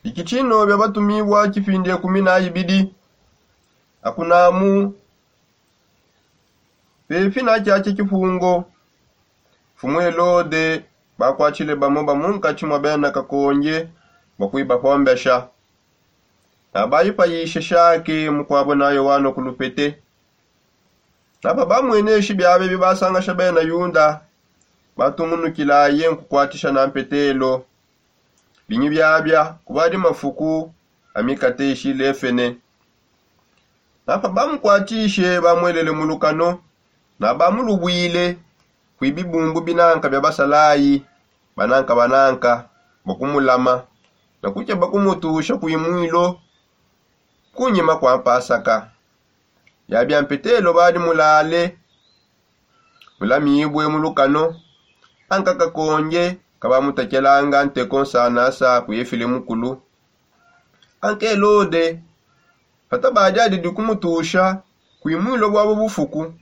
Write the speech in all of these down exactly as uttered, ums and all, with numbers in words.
Iki tshino bia batumibua tshipindi ekumi na ibidi. Akunamu pepi na tshiatshia tshipungo, mfumu Helode bakuatshile bamo ba munkatshi mua bena kakonge bua kuibapombesha. Nabayipayishe shake mukuabo nayo wano ku lupete. Napa bamweneshi biabe bibasangasha bena Yuda, batungunukilaye nkukuatisha na mpetelo. Binyi biabia kubadi mafuku amikate ishilefene. Napa bamukuatishe bamwelele mu lukano, na bamulubwile kui bibumbu binanka bia basalayi bananka bananka, bakumulama na kukeba kumutusha kui mwilo kunyima kua mpasaka. Biabia mpetelo badi mulale mulamibue mu lukano, anka kakonge kabamutakelanga nteko nsanasa ku efile mukulu. Anka Helode patabadi adidi kumutusha kui mwilo buabo bufuku,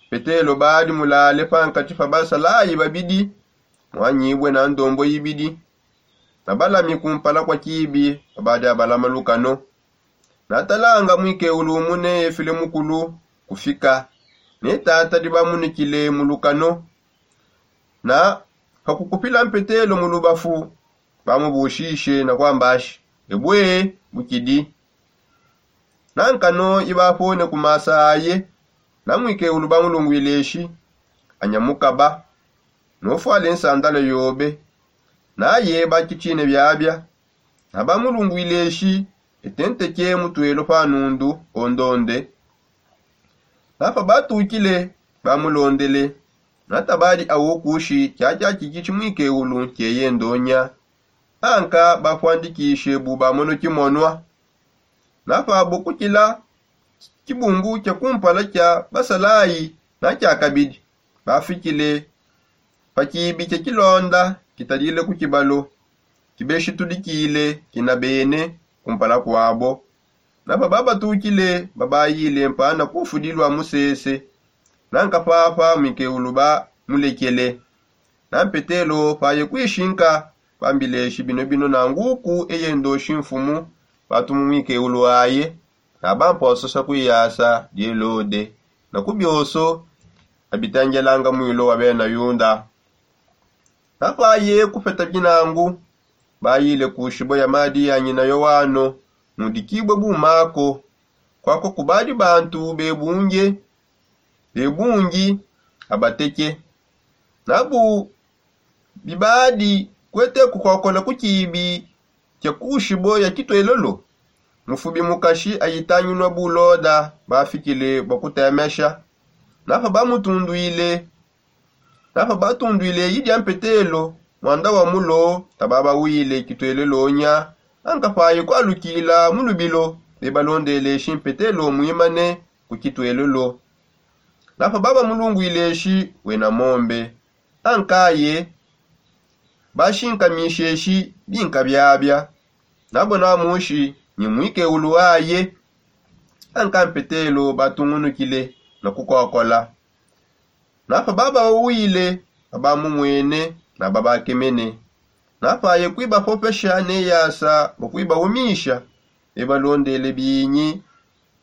petelo badi mulale pankatshi pa basalayi babidi, muanyibue na ndombo ibidi, na balami kumpala kua kibi babadi abalama lukano. Natalanga muikewulu umune efile mukulu kufika, ne tata dibamunukile mu lukano. Na pakukupila mpetelo mu lubafu, bamubushishe na kuambashi: Ebue, bukidi? Na nkano ibapone ku masa aye. Na muikewulu bamulungwile eshi: Anyamukaba, nufwale nsandala yobe. Naye bakitshine biabia. Na bamulungwile eshi: Etenteke mutuelo pa nundu ondonde. Napa batukile, bamulondele. Natabadi awo kushi tshiatshia tshikitshi muikewulu nkieye ndonya. Anka bapuandikishe bu bamona kimonua. Napabo kukila kibungu kia kumpala kia basalayi na kia kabidi, bafikile pa kibi kia kilonda kitadile ku kibalo, kibeshitudikile kina bene kumpala kuabo. Napa babatukile babayile mpana kufudi lua musese. Nanka papa muikewulu bamulekele. Na mpetelo paye kuishinka, bambileshi: Bino bino nanguku eye ndoshi mfumu batumu muikewulu aye, na bampososha kuiyasa di Helode na ku bioso abitangelanga mwilo wa bena Yuda. Napaye kupeta binangu, bayile ku shibo ya madi ya nyina Yowano, mudikibue bu Mako. Kwako kubadi bantu bebunge, bebungi abateke. Nabu bibadi kuete kukokola ku kibi kia ku shibo ya kituelolo, mufubi mukashi ayitanginua bu Loda bafikile bua kutemesha. Napa bamutundwile, napa batundwile eyi dia mpetelo, muanda wa mulo tababawile kituelelo nya. Anka paye kualukila mu lubilo, bebalondeleshi mpetelo muimane ku kituelelo. Napa babamulungwileshi wena mombe. Ankaye bashinkamisheshi binka biabia. Nabo namushi ni muikewulu aye. Anka mpetelo batungunukile na kukokola. Napa babawile, babamumwene na babakemene. Napaye kuibapopesha ne yasa bua kuibawumisha, bebalondele binyi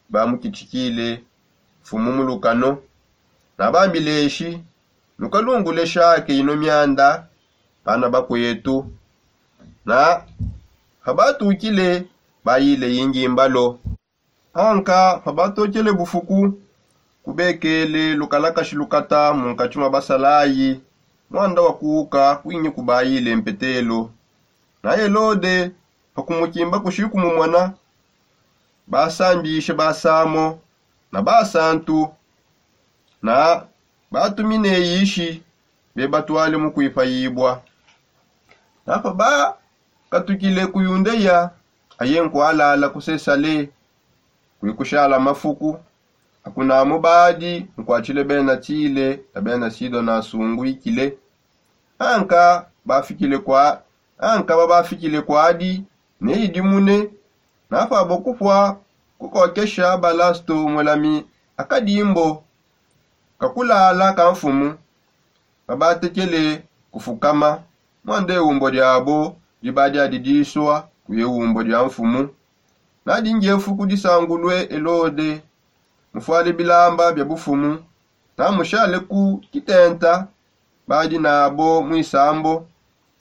bamukitshikile mfumu mu lukano. Nabambileshi: Nukalungule shake ino mianda, bana bakuetu. Na pabatukile, bayile yingi mbalo. Anka pabatokele bufuku, kubekele lukalakashi lukata munkatshi mua basalayi, muanda wa kuuka kuinyi kubayile mpetelo. Na Helode pakumukimba kushi kumumona, basambishe basamo na basantu, na batumine yishi bebatwale mu kuipayibua. Napa bakatukile ku Yundeya, aye nkualala ku Sesale, kuikushala mafuku. Akunamu badi nkuatshile bena Tile na bena Sidona asunguikile. Anka bafikile kua anka babafikile kuadi ne idimune. Napabo kupua kukokesha Balasto mulami akadimbo kakulala ka mfumu, babatekele kufukama. Muanda eumbo diabo diba diadidisua Kuye umbo dia mfumu. Nadi ndiefu ku disangulue elode, mufuale bilamba bia bufumu, namushale ku kitenta badi nabo muisambo.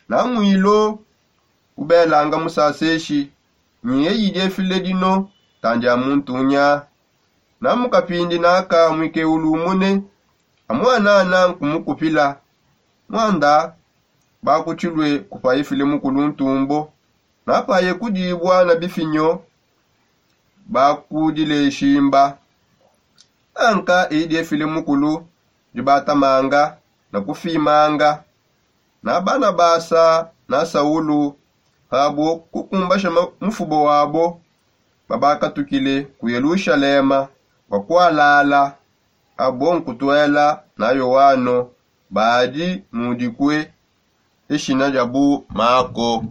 Namwilo ubelanga musaseshi, nyi eyi diefile dino tandi a muntu nya. Namukapindi naka mwike ulumune, amwanana nkumukupila. Mwanda bakutshilue kupa efile mukulu ntumbo, napaye kudibua na bifinyo bakudile shimba. Anka idi efile mukulu dibatamanga na kufimanga. Na banabasa na saulu pabo kukumbasha mufubo wabo, babakatukile ku yelushalema bakualala. Abo nkutuela na yoano badi mudikue eshina diabu mako.